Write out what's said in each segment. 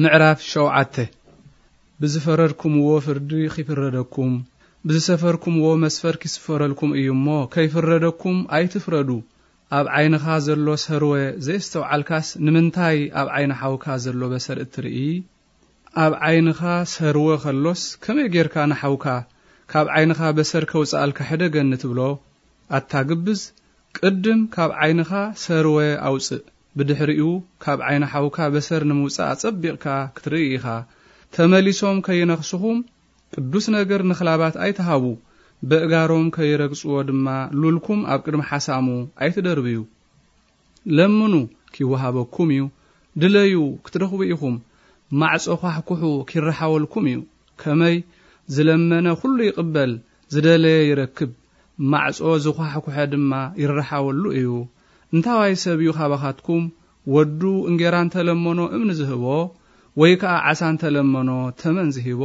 ምዕራፍ ሸውዓተ። ብዝፈረድኩምዎ ፍርዲ ኺፍረደኩም፣ ብዝሰፈርኩምዎ መስፈር ኪስፈረልኩም እዩ እሞ፣ ከይፍረደኩም ኣይትፍረዱ። ኣብ ዓይንኻ ዘሎ ሰርወ ዘየስተውዓልካስ፣ ንምንታይ ኣብ ዓይኒ ሓውካ ዘሎ በሰር እትርኢ? ኣብ ዓይንኻ ሰርወ ኸሎስ፣ ከመይ ጌርካ ንሓውካ ካብ ዓይንኻ በሰር ከውጽኣልካ ሕደገኒ ትብሎ? ኣታ ግብዝ፣ ቅድም ካብ ዓይንኻ ሰርወ ኣውጽእ፣ ብድሕሪኡ ካብ ዓይኒ ሓውካ በሰር ንምውጻእ ኣጸቢቕካ ክትርኢ ኢኻ። ተመሊሶም ከይነኽስኹም ቅዱስ ነገር ንኽላባት ኣይትሃቡ፣ በእጋሮም ከይረግጽዎ ድማ ሉልኩም ኣብ ቅድሚ ሓሳሙ ኣይትደርብዩ። ለምኑ፣ ኪወሃበኩም እዩ፣ ድለዩ፣ ክትረኽቡ ኢኹም፣ ማዕጾ ኳሕኩሑ፣ ኪረሓወልኩም እዩ። ከመይ ዝለመነ ኩሉ ይቕበል፣ ዝደለየ ይረክብ፣ ማዕጾ ዝኳሕኩሐ ድማ ይረሓወሉ እዩ። እንታዋይ ሰብ እዩ ካባኻትኩም፣ ወዱ እንጌራ እንተለመኖ እምኒ ዝህቦ፣ ወይ ከኣ ዓሳ እንተለመኖ ተመን ዝሂቦ?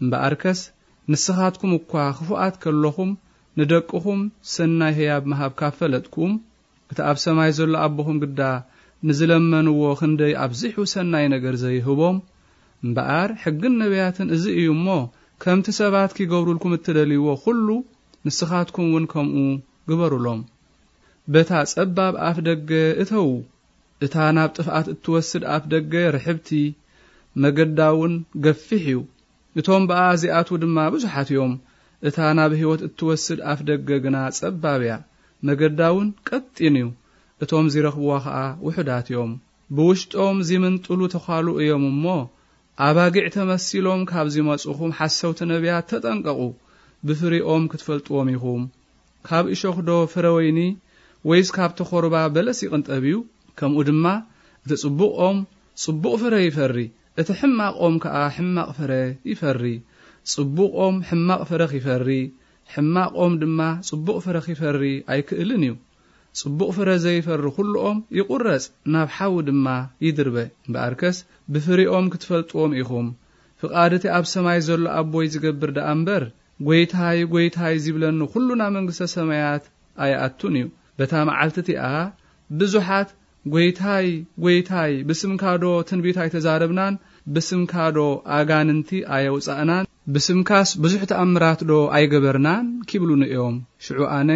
እምበኣርከስ ንስኻትኩም እኳ ክፉኣት ከለኹም፣ ንደቅኹም ሰናይ ህያብ ምሃብ ካብ ፈለጥኩም፣ እቲ ኣብ ሰማይ ዘሎ ኣቦኹም ግዳ ንዝለመንዎ ክንደይ ኣብዚሑ ሰናይ ነገር ዘይህቦም? እምበኣር ሕግን ነቢያትን እዚ እዩ እሞ፣ ከምቲ ሰባት ኪገብሩልኩም እትደልይዎ ኩሉ፣ ንስኻትኩም እውን ከምኡ ግበሩሎም። በታ ጸባብ ኣፍ ደገ እተዉ፣ እታ ናብ ጥፍኣት እትወስድ ኣፍ ደገ ርሕብቲ፣ መገዳ እውን ገፊሕ እዩ። እቶም ብኣ ዚኣትዉ ድማ ብዙሓት እዮም። እታ ናብ ህይወት እትወስድ ኣፍ ደገ ግና ጸባብ እያ፣ መገዳ እውን ቀጢን እዩ። እቶም ዚረኽብዋ ኸኣ ውሑዳት እዮም። ብውሽጦም ዚምንጥሉ ተዃሉ እዮም እሞ፣ ኣባጊዕ ተመሲሎም ካብ ዚመጹኹም ሓሰውቲ ነቢያት ተጠንቀቑ። ብፍሪኦም ክትፈልጥዎም ኢኹም። ካብ እሾኽዶ ፍረ ወይኒ ወይስ ካብ ተኾርባ በለስ ይቕንጠብ እዩ? ከምኡ ድማ እቲ ጽቡቕ ኦም ጽቡቕ ፍረ ይፈሪ፣ እቲ ሕማቕ ኦም ከኣ ሕማቕ ፍረ ይፈሪ። ጽቡቕ ኦም ሕማቕ ፍረ ኺፈሪ፣ ሕማቕ ኦም ድማ ጽቡቕ ፍረ ኺፈሪ ኣይክእልን እዩ። ጽቡቕ ፍረ ዘይፈሪ ኹሉ ኦም ይቑረጽ፣ ናብ ሓዊ ድማ ይድርበ። እምበኣርከስ ብፍሪኦም ክትፈልጥዎም ኢኹም። ፍቓድ እቲ ኣብ ሰማይ ዘሎ ኣቦይ ዝገብር ደኣ እምበር፣ ጐይታይ፣ ጐይታይ ዚብለኒ ኹሉ ናብ መንግስተ ሰማያት ኣይኣቱን እዩ። በታ መዓልቲ እቲኣ ብዙሓት፣ "ጐይታይ፣ ጐይታይ፣ ብስምካዶ ትንቢት ኣይተዛረብናን? ብስምካዶ ኣጋንንቲ ኣየውጻእናን? ብስምካስ ብዙሕ ተኣምራትዶ ኣይገበርናን?" ኪብሉኒ እዮም። ሽዑ ኣነ፣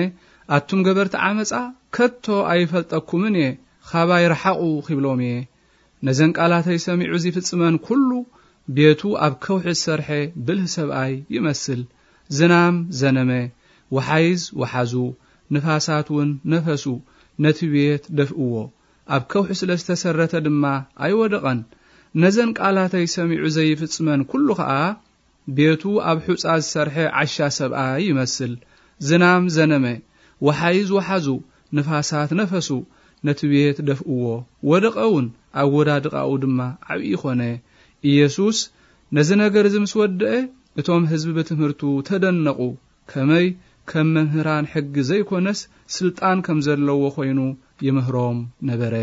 "ኣቱም ገበርቲ ዓመጻ፣ ከቶ ኣይፈልጠኩምን እየ፣ ኻባይ ርሓቑ" ኺብሎም እየ። ነዘን ቃላተይ ሰሚዑ ዚፍጽመን ኩሉ፣ ቤቱ ኣብ ከውሒ ዝሰርሐ ብልህ ሰብኣይ ይመስል። ዝናም ዘነመ፣ ወሓይዝ ወሓዙ፣ ንፋሳት እውን ነፈሱ፣ ነቲ ቤት ደፍእዎ። ኣብ ከውሒ ስለ ዝተሰረተ ድማ ኣይወደቐን። ነዘን ቃላተይ ሰሚዑ ዘይፍጽመን ኩሉ ኸኣ፣ ቤቱ ኣብ ሑጻ ዝሰርሐ ዓሻ ሰብኣይ ይመስል። ዝናም ዘነመ፣ ወሓይዝ ወሓዙ፣ ንፋሳት ነፈሱ፣ ነቲ ቤት ደፍእዎ። ወደቐ እውን፣ ኣወዳድቓኡ ድማ ዓብዪ ኾነ። ኢየሱስ ነዚ ነገር እዚ ምስ ወደአ፣ እቶም ህዝቢ ብትምህርቱ ተደነቑ። ከመይ ከም መምህራን ሕጊ ዘይኮነስ፣ ስልጣን ከም ዘለዎ ኾይኑ ይምህሮም ነበረ።